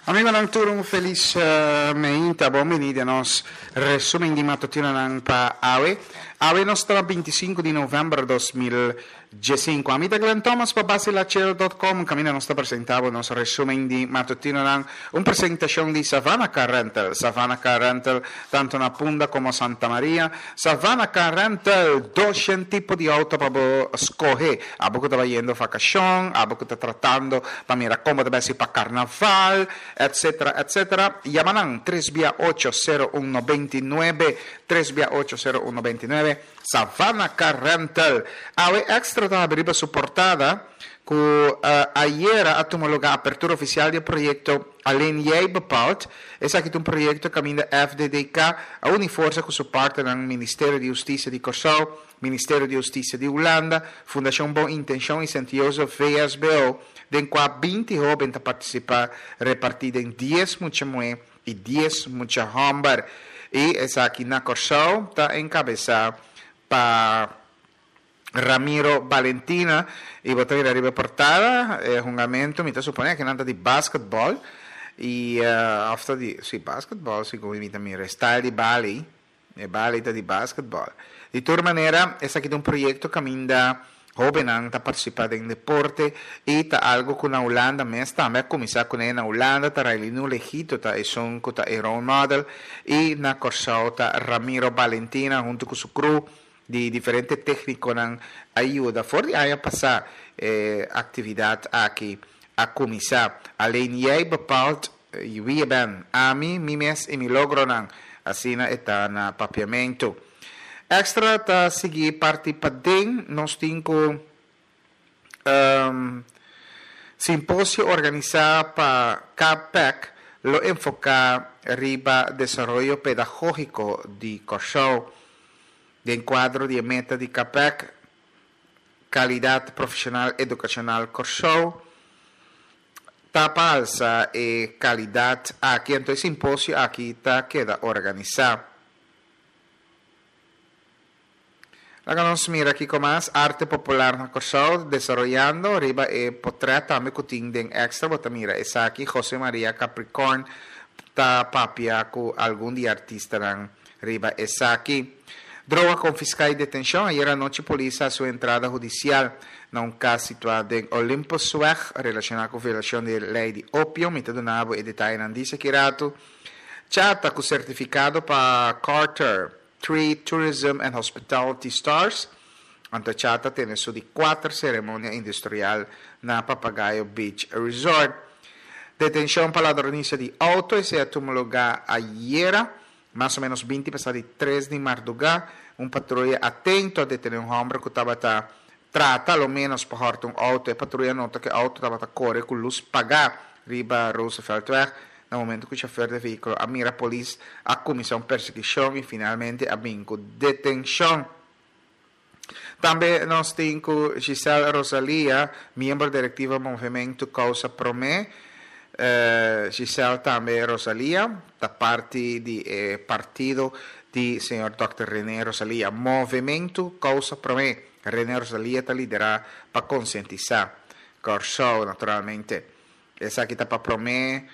Amigonan tur un felis meinta, bon bini den nos resumen di matutinonan pa awe. Awe nos ta 25 di november 2015. Ami ta Glenn Thomas pa basilachero dot com kaminda nos ta presenta bo nos resumen di matutinonan. Un presentacion di Savannah Car Rental. Savannah Car Rental tanto na Punda como Santa Maria. Savannah Car Rental, doshen tipo di auto pa bo scoge. Abo cu ta bayendo vacacion, abo cu ta tratando pa mira con bo ta bay haci pa carnaval, etc. Etc. Yama nan tres bia ocho sero un nobenta i nuebe, tres bia ocho sero un nobenta i nuebe, Savannah Car Rental. Awe Extra ta habri riba su portada cu ayera a tuma lugar apertura oficial di e proyecto Alleen Jij Bepaalt. Esaki ta un proyecto caminda FDDK a uni forsa cu su partnernan Ministerio di Husticia di Corsou, Ministerio di Hustisia di Hulanda, Fundashon Bon Intenshon i Sint Jozef VSBO, den kua 20 hóben ta partisipá repartí den dies mucha muhé i dies mucha hòmber. I esaki na Kòrsou ta enkabesá pa Ramiro Balentina i bo ta mira riba e portada e hungamentu mi ta suponé akinan ta di basketbòl i òf ta di si basketbòl segun mi ta mira e style di bali. E bali ta di basketball. Di tur manera, esaki ta un proyekto kaminda hóbennan ta partisipá den deporte i ta algu ku na Hulanda mes tambe a kuminsá kuné. Na Hulanda ta Raylino Legito ta esun ku ta e role model i na Kòrsou ta Ramiro Balentina huntu ku su crew di diferente téknikonan a yuda. For di aña pasá e aktividat aki a kuminsá. Alleen jij bepaalt Wie je bent, ami, mi mes i mi logronan, asina e ta na Papiamentu. Extra ta sigui parti paden, nos tin ku simposio organisá pa KPEC lo enfoká riba desaroyo pedagógiko di Kòrsou. Den kuadro di e meta di KPEC, Kalidat Profeshonal Edukashonal Kòrsou, Ta pa alsa e kalidat aki anto e simposio aki ta keda organisá. Laga nos mira kiko mas arte popular na Kòrsou desaroyando riba e potrèt tambe ku tin den Extra bo ta mira esaki José Maria Capricorn ta papia ku algun di e artistanan riba esaki. Droga konfiská i detenshon, Ayera anochi polis a hasi un entrada hudisial na un kas situá den Olympusweg relashoná ku violashon di e lei di opio. Mi ta duna bo e detayenan disa ki ratu. Chata ku sertifikado pa Carter Tree Tourism and Hospitality Stars. Anto Chata tene su di kuater seremonia industrial na Papagayo Beach Resort. Detenshon pa ladronisia di outo, esei a tuma lugá ayera. Mas o menos 20 pasá di tres di mardugá, un patruya atento a detené un hòmber ku tabata trata lo ménos pa hòrta un outo. E patruya a nota ku e outo tabata kore ku lus pagá riba Rooseveltweg. Na momentu ku shofèr di e vehíkulo a mira polis, a kuminsá un persiguishon i finalmente a bin ku detenshon. Tambe nos tin ku Giselle Rosalia, miembro direktiva Movementu Kousa Promé. Giselle tambe Rosalia ta parti di e partido di señor dòkter Rene Rosalia. Movementu Kousa Promé, Rene Rosalia ta liderá pa konsientisá Kòrsou naturalmente. Esaki ta pa promé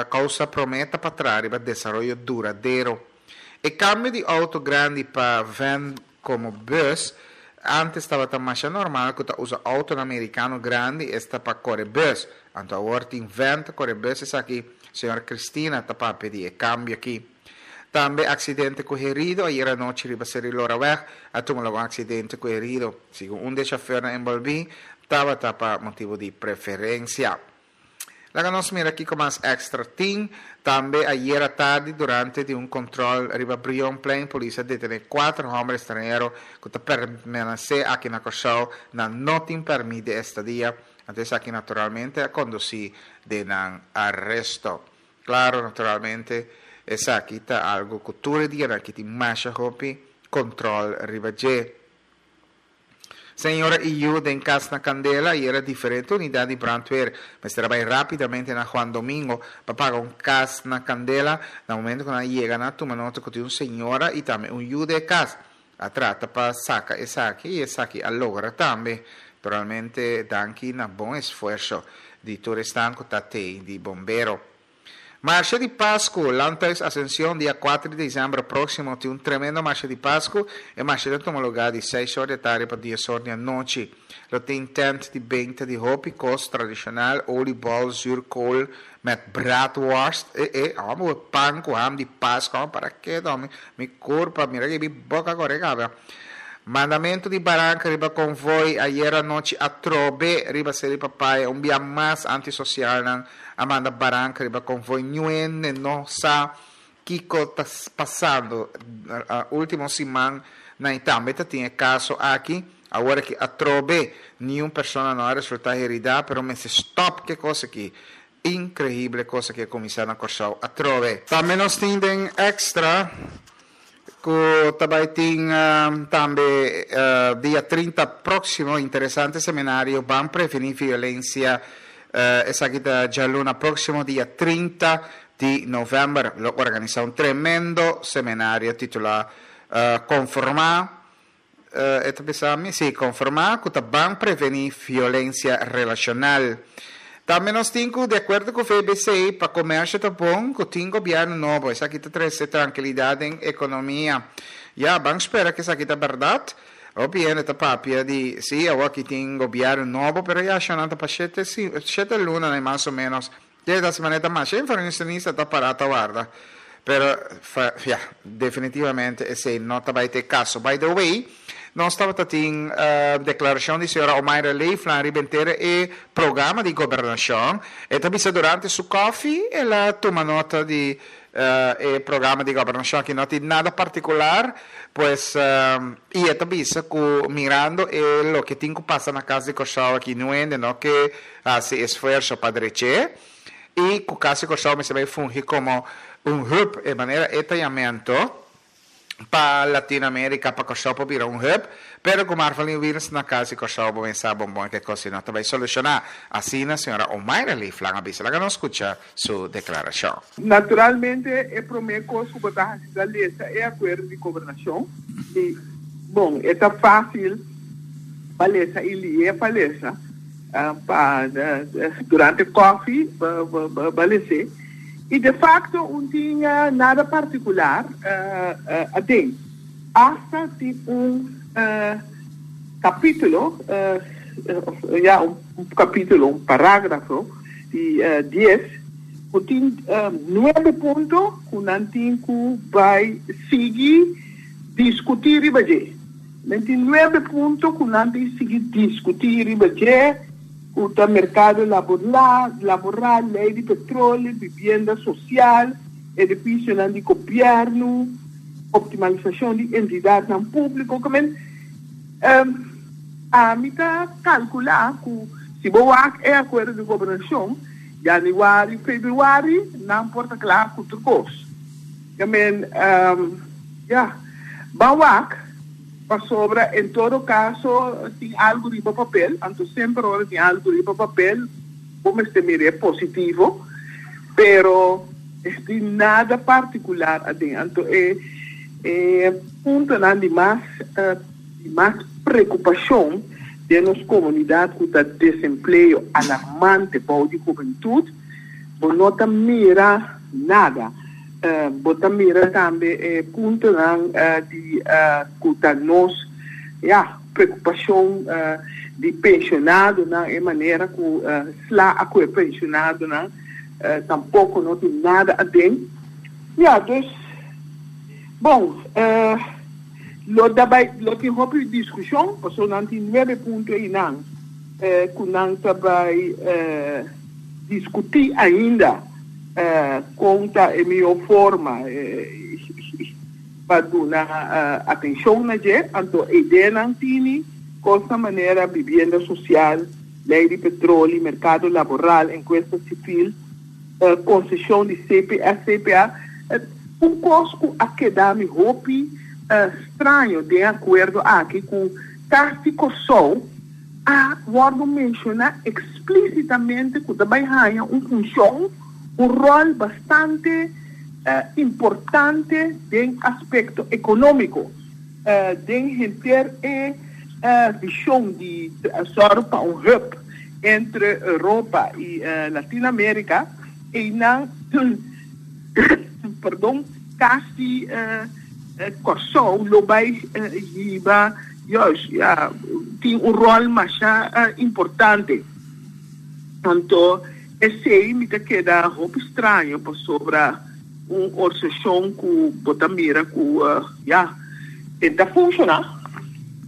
Kousa Promé ta pa traha riba desaroyo duradero. E kambio di outo grandi pa van komo bus, antes tabata masha normal ku ta usa outonan merikano grandi esta pa kore bus, anto awor tin van ta kore bus esaki señor Cristina ta papia di e kambio aki. Tambe aksidente ku herido, ayera anochi riba Seri Loraweg a tuma logo un aksidente ku herido, segun un di e shofèrnan enbolbí tabata pa motibu di preferensia. Laga nos mira kiko mas Extra tin. Tambe ayera tardi durante di un control riba Brionplein polis a detene cuater homber estranhero cu ta permanece aki na Corsou nan no tin permit di estadia, anto esaki naturalmente a conduci den nan aresto. Claro naturalmente esaki ta algo cu tur e dianan aki tin masha hopi control riba dje. Señora i yu den kas na kandela i era diferente unidat di brandweer mester a bai rápidamente na Juan Domingo pa paga un kas na kandela. Na momento ku nan a yega nan a tuma nota ku tin un señora i tambe un yu den e kas. A trata pa saka esaki i esaki a logra tambe. Naturalmente danki na bon esfuerso di tur esnan ku ta tei di bombero. Marshe di Pasku, Landhuis Ascension, dia kuater di desèmber próksimo tin un tremendo Marshe di Pasku. E marshe ta tuma lugá di seis or di atardi pa dies or di anochi. Lo tin tent di benta di hopi kos tradishonal, oliebol, zuurkool met braadworst. E e, amo bo pan ku ham di Pasku, amo para kedo, mi mi kurpa, mira ke mi boka kore kaba. Mandamentu di baranka riba konvoi ayera anochi atrobe riba Seri Papaya un bia mas antisosialnan a manda baranka riba konvoi ñuende no sa kiko ta pasando. Ultimo siman nan i tambe ta tin e kaso aki. Awor aki atrobe niun persona no a resulta herida pero mester stop ke kos aki. Inkrehible kos aki a kuminsá na Kòrsou atrobe. Tambe nos tin den extra ku ta bai tin tambe dia 30 próksimo interesante seminario Ban Prevení Violensia. Esaki ta djaluna próksimo dia 30 di novèmber. Lo organisá un tremendo seminario titulá Konformá E ta bisa mi, sí, konformá ku ta ban prevení violensia relashonal. Tambe nos tin ku, di akuerdo ku VBC, pa komersio ta bon ku tin gobièrnu nobo. Esaki ta trese trankilidat den ekonomia. Ya, ban spera ku esaki ta bèrdat. Hopi hende ta papia di, sí, awor aki tin gobièrnu nobo, pero ya shonnan ta pa shete, shete lunanan mas o ménos. Te ta manera ta masha inversionista ta para ta warda. Pero, ya, definitivamente esey no ta bay ta e caso. By the way, nos tabata tin declaracion di señora Omayra Leeflang riba henter e programa di gobernacion. E ta bisa durante su koffie el a tuma nota di e programa di gobernacion aki no tin nada particular, pues, y e ta bisa cu mirando e loke tin cu pasa na Cas di Corsou aki niun hende no ke hasi esfuerso pa drech'é i ku Kasi Kòrsou mester bai fungi komo un hub, e manera e ta yamento pa Latinoamérika pa Kòrsou por bira un hub, pero ku Marvalyn Wiels na Kasi Kòrsou bo mester sa bon bon ke kos si no ta bai solushoná, asina señora Omayra Leeflang a bisa. Laga nos skucha su deklarashon. Naturalmente e promé kos ku bo ta hasi ta lesa e akuerdo di gobernashon i bon e ta fásil pa lesa i lié pa lesa. Pa durante koffie ba les'é y de facto un tin nada particular aden. Hasta tin un capitulo, ya un capitulo, un paragrafo di dies cu tin nuebe punto cu nan tin cu bay sigui discuti riba dje. Men tin nuebe punto ku nan tin sigui diskutí riba dje, ku ta merkado laboral, lei di petroleo, bibienda sosial, edifisionan di gobièrnu, optimalisashon di entidatnan públiko. Ku men ami ta kalkulá ku si bo wak e akuerdo di gobernashon, yanüari, febrüari nan por ta kla ku tur kos. Ya men, ya. Ban wak, pasobra en todo caso tin algo riba papel, anto semper ora tin algo riba papel bo mester mir'é positivo, pero es tin nada particular aden. Anto e e puntonan di mas di mas preocupacion den nos comunidad cu ta desempleo alarmante bou di hubentud, bo no ta mira nada. Bo ta mira tambe e puntonan di ku ta nos, ya, preokupashon di penshonadonan, e manera ku sla a ku e penshonadonan tampoko no tin nada aden. Ya, dus, bon, lo ta bai, lo tin hopi diskushon, pasobra nan tin nuebe punto einan ku nan ta bai diskutí ainda. Kon ta e mihó forma pa duna atenshon na dje? Anto e ideanan tini kosnan manera bibienda sosial, lei di petroli, merkado laboral, enkuesta sivil, konseshon di CPS, CPA. Un kos ku a keda mi hopi straño den e akuerdo aki ku Kas di Kòrsou a wòrdu menshoná eksplísitamente ku ta bai haña un funshon, un ròl bastante importante den aspekto ekonómiko, den henter e vishon di sòru pa un hub entre Europa i Latinoamérika. Einan, perdon, kasi Kòrsou lo bai hiba juist, ya, tin un ròl masha importante. Anto esei mi ta keda hopi straño pasobra un organisashon ku bo ta mira ku, ya, e ta funshoná.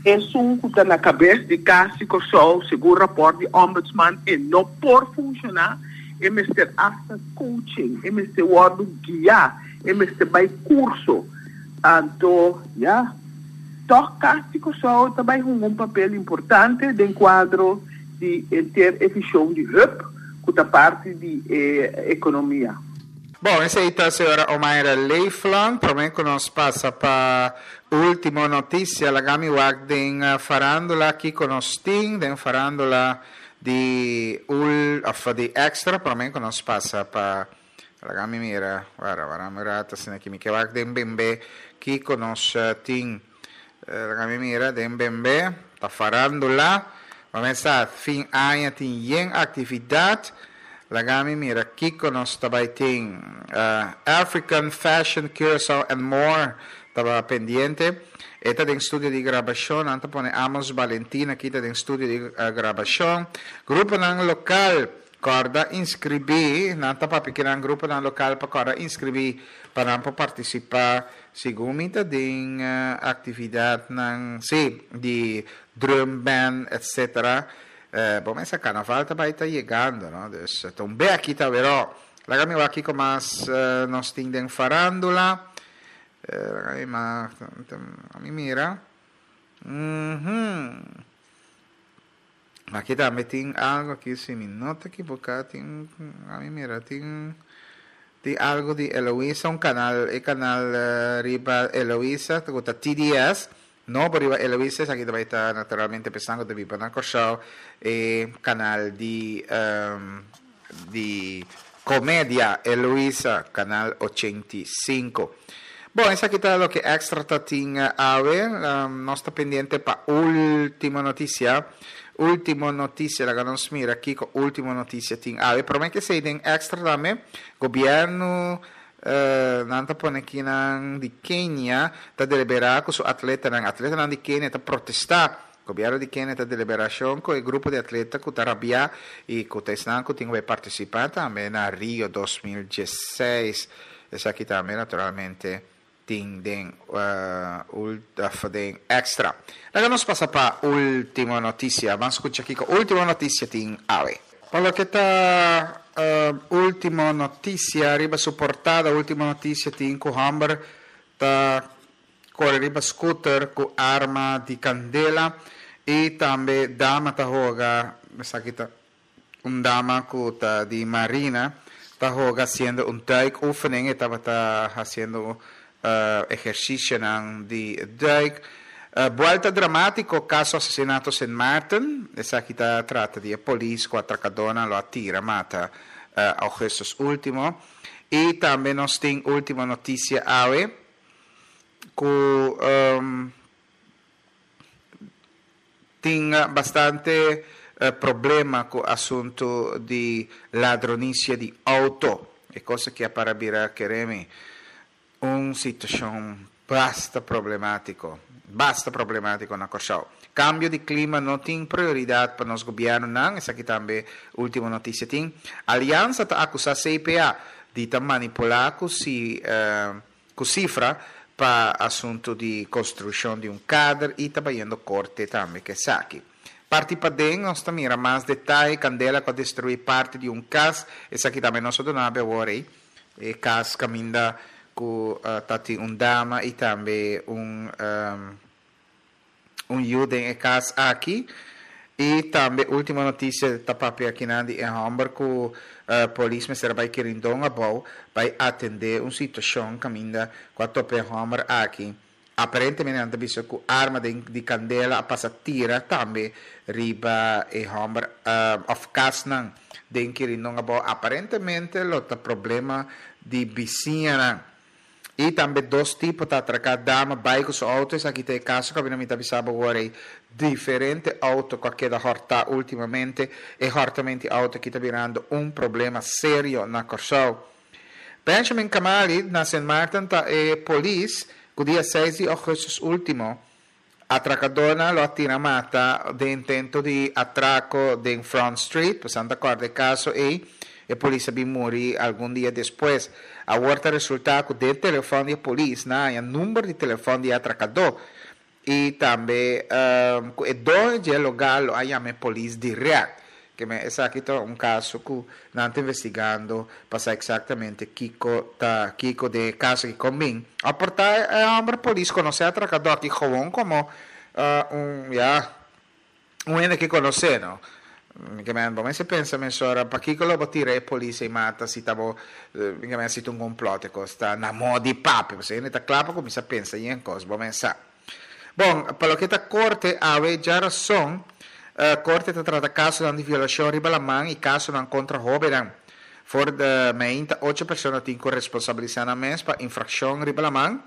Esun ku ta na kabes di Kas di Kòrsou, segun rapòrt di Ombudsman, e no por funshoná. E mester hasta coaching, e mester wordo guia, e mester bay curso. Anto, ya, toch Cas di Curaçao ta bay hunga un papel importante den cuadro di henter e vision di hub cu ta parti di e economia. Bon, esey ta señora Omaira Leeflang. Prome cu nos pasa pa ultimo noticia, laga mi wak den farandula kico nos tin den farandula. Di ul of di extra prome ku nos pasa pa laga mi mira wara wara mi rato asina ki mi ke wak den bembe kiko nos tin laga mi mira den bembe ta farandula bo mes sa fin aña tin yen aktividat laga mi mira kiko nos ta bai tin African fashion Curaçao and more taba pendiente. E ta den studio di grabashon, nan ta pone Amos Balentin aki ta den studio di grabashon. Gruponan lokal kòrda inskribí, nan ta papia kinan gruponan lokal pa kòrda inskribí pa nan por partisipá segun mi ta den aktividatnan, sí, di drum band etcetera. Bo mester karnaval ta bai ta yegando, no? Dus ta un be aki ta awerò. Laga mi wak kiko mas nos tin den farandula. Mi mira. Aki tambe tin algo aki si mi no ta ekiboká tin ami mira tin tin algo di Eloisa un kanal e kanal riba Eloisa ku ta TDS nobo riba Eloisa esaki ta bai ta naturalmente pensando ku ta biba na Kòrsou e kanal di di Comedia Eloisa, Canal 85. Bon, esaki ta loke Extra ta tin awe. Nos ta pendiente pa Ultimo Noticia. Ultimo Noticia, laga nos mira kiko Ultimo Noticia tin awe. Prome ke esei den Extra tambe, gobierno nan ta pone kinan di Kenia ta delibera ku su atletanan. Atletanan di Kenia ta protesta Gobierno di Kenia ta deliberacion cu e grupo di atleta cu ta rabia y cu ta esnan cu tin cu bay participa tambe na Rio 2016. Esaki tambe naturalmente tin den of den extra. Laga nos pasa pa ultimo noticia. Ban scucha kico ultimo noticia tin awe. Pa loke ta ultimo noticia riba su portada ultimo noticia tin cu homber ta Kore riba scooter ku arma di kandela i tambe dama ta hoga, esaki ta un dama ku ta di marina, ta hoga hasiendo un duikoefening, e tabata hasiendo ehersisionan di duik. Buelta dramátiko kaso asesinato Sint Maarten, esaki ta trata di e polis ku atrakadónan lo a tira mata augustus último. I tambe nos tin último notisia awe. Ku tin bastante problema ku asuntu di ladronisia di outo. E kos aki a para bira keremi un situashon basta problemátiko, basta problemátiko na Kòrsou. Kambio di klima no tin prioridat pa nos gobièrnunan, esaki tambe Ultimo Noticia tin. Aliansa ta akusá CPA di ta manipulá ku si. Ku sifra pa asuntu di konstrukshon di un kader i ta bayendo korte tambe ku esaki. Parti paden nos ta mira mas detaye, kandela ku a destruí parti di un kas, esaki tambe nos a duna be awor ei, e kas kaminda ku ta tin un dama i tambe un. Un yu den e kas aki. I tambe ultimo notisia ta papia akinan di e hòmber ku polis mester a bai Kirindon abou bai atendé un situashon kaminda ku a topa e hòmber aki. Aparentemente nan ta bisa ku arma den di kandela a pasa tira tambe riba e hòmber òf kasnan den Kirindon abou. Aparentemente lo ta problema di bisiñanan. I tambe dos tipo ta atraká dama bai ku su outo, esaki ta e kaso ku mi ta bisa bo awor ei, diferente outo ku a keda hòrtá últimamente, e hòrtament di outo aki ta birando un problema serio na Kòrsou. Benjamin Kamali na Sint Maarten ta e polis ku dia seis di ougùstùs último Atrakadónan lo a tira mata den intento di atrako den Front Street, pasobra ta kòrda e kaso ei, e polis a bin muri algun dia despues. Awor ta resultá ku den telefòn di e polis nan a haña number di telefòn di e atrakadó i tambe ku e doño di e lugá lo a yama e polis dirèkt. Keme esaki ta un kaso ku nan ta investigando pa sa eksaktamente kiko ta kiko den e kaso aki kon bin. A por ta e hòmber polis konosé atrakadó aki gewoon komo un ya un hende ke konosé no. Keme bo mester pensa mesora pakiko lo bo tira e polis ei mata si ta bo keme si ta un komplòt e kos ta na moda di papia pasobra hende ta kla pa kuminsá pensa yen kos bo mes sa. Bon, pa loke ta korte, awe djarason, korte ta trata kasonan di violashon riba laman i kasonan kontra hóbennan. For di meinta ocho persona tin ku responsabilisá nan mes pa infrakshon riba laman.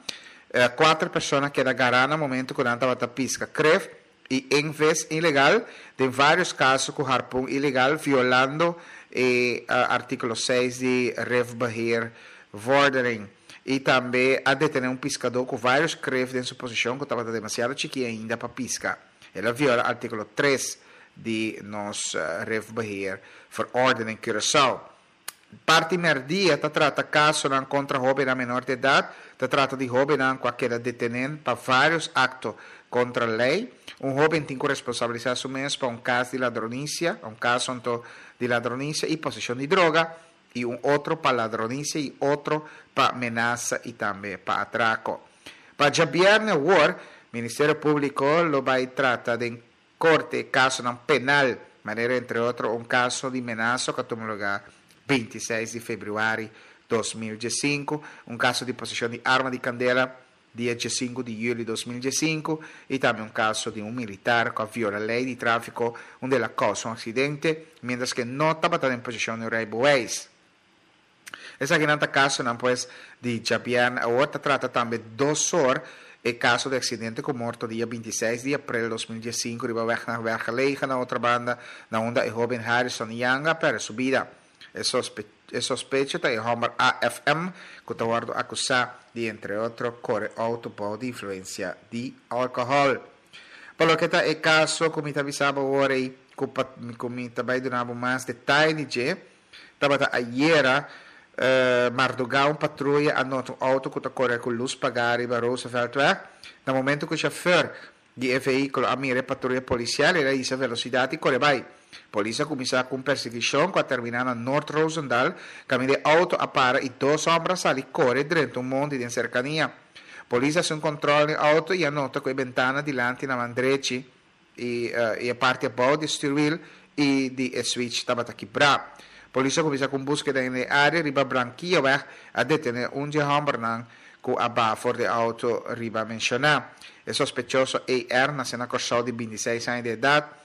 Kuater persona keda gará na momentu ku nan tabata piska kref i enves ilegal, den vários kaso ku harpun ilegal, violando e artíkulo seis di Rifbeheerverordening. I tambe a detené un piskadó ku vários kref den su posishon ku tabata demasiado chikí ainda pa piska. El a viola artíkulo tres di nos Rifbeheerverordening Curaçao. Parti mèrdia ta trata kasonan kontra hóbennan menor di edat. Ta trata di hóbennan ku a keda detené pa vários akto kontra lei. Un hóben tin ku responsabilisá su mes pa un kas di ladronisia, un kaso anto di ladronisia i poseshon di droga. i un otro pa ladronisia i otro pa menasa i tambe pa atrako. Pa djabièrnè awor, Ministerio Públiko lo bai trata den korte kasonan penal, manera entre otro un kaso di menasa ku a tuma lugá 26 di febrüari 2015, un kaso di poseshon di arma di kandela, dia diesinku di juli 2015 y tambe un caso di un militar cu a viola ley di trafico unda el a causa un accidente mientras cu e no tabata den posicion di un rijbewijs. Esakinan ta casonan pues di djabierne. Awor ta trata tambe dos or e caso di accidente cu morto dia 26 di april 2015 riba weg naar Wergelegen na Otrabanda na unda e hoben Harrison Yanga a perde su bida. E sospecho ta e hòmber AFM ku ta wòrdu akusá di entre otro kore outo bou di influensia di alkohòl. Pa loke ta e kaso ku mi ta bisa bo awor ei ku pa ku mi ta bai duna bo mas detaye di dje, tabata ayera mardugá un patruya a nota un outo ku ta kore ku lus pagá riba Rooseveltweg. Na momento ku shofèr di e vehíkulo a mira e patruya polisial, el a hisa velosidat i kore bai. Polis a kuminsá ku un persiguishon ku a terminá na Noord Roosendaal, kaminda e outo a para i dos hòmber a sali kore drenta un mondi den serkania. Polis a hasi un kòntròl den e outo i a nota ku e bentana dilanti na man drechi i e parti abou di e stuurwiel i di e switch tabata kibrá. Polis a kuminsá ku un búskeda den e área riba Brankiaweg, a detené un di e hòmbernan ku a baha for di e outo riba menshoná. E sospechoso AR. nase na Kòrsou di 26 aña di edat.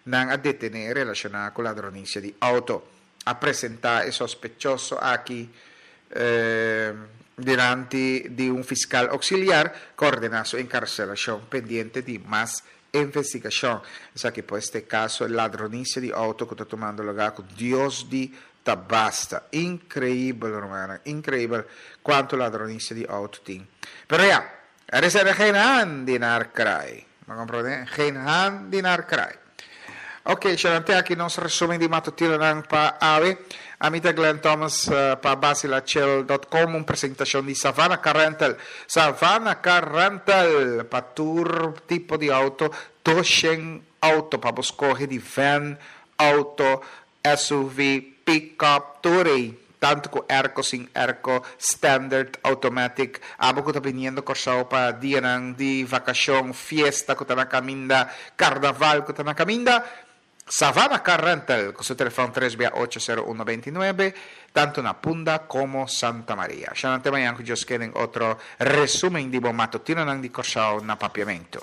Nan a detené relashoná ku ladronisia di outo. A presentá e sospechoso aki dilanti di un fiskal oksiliar ku a ordená su enkarselashon pendiente di mas investigashon. Esaki pues ta e kaso ladronisia di outo ku ta tumando lugá ku Dios di ta basta. Inkreibel rumannan, inkreibel kuantu ladronisia di outo tin. Pero ya, er is er geen haan die naar kraai. Bo komprondé? Geen haan die naar kraai. Ok, Shalante aki nos resumen di matutinonan pa awe. Ami ta Glenn Thomas pa Basilachel dot com, un presentacion di Savannah Car Rental. Savannah Car Rental pa tur tipo di auto, 200 auto pa bo scoge di van, auto, SUV, pick-up, tur ei, tantu ku airco sin airco, standard, automatic. Abo ku ta biniendo Kòrsou pa dianan di vakashon, fiesta ku ta na kaminda, karnaval ku ta na kaminda, Savannah Car Rental ku su telefòn tres bia ocho sero uno beinti nuebe, tantu na Punda komo Santa Maria. Shana te mañan ku Dios ke den otro resumen di bo matutinonan di Kòrsou na Papiamentu.